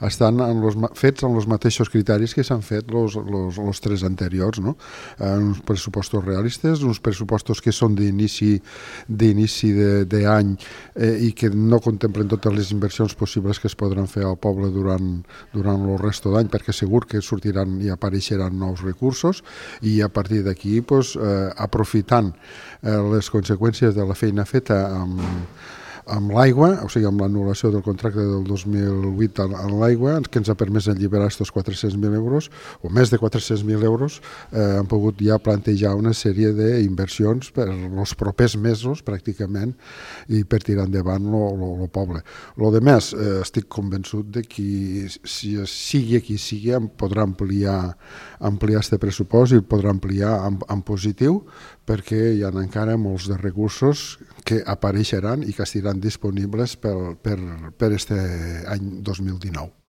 Estan fets amb els mateixos criteris que s'han fet els tres anteriors, no? Uns pressupostos realistes, uns pressupostos que són d'inici d'any i que no contemplen totes les inversions possibles que es podran fer al poble durant el resto d'any, perquè segur que sortiran i apareixeran nous recursos, i a partir d'aquí, aprofitant les conseqüències de la feina feta amb l'aigua, o sigui, amb l'anul·lació del contracte del 2008 en l'aigua, que ens ha permès alliberar aquests 400.000 euros, o més de 400.000 euros, han pogut ja plantejar una sèrie d'inversions per els propers mesos, pràcticament, i per tirar endavant el poble. Lo de més, estic convençut de que sigui qui sigui, podrà ampliar este pressupost i el podrà ampliar en positiu, perquè hi ha encara molts de recursos que apareixeran i que estaran disponibles per este any 2019.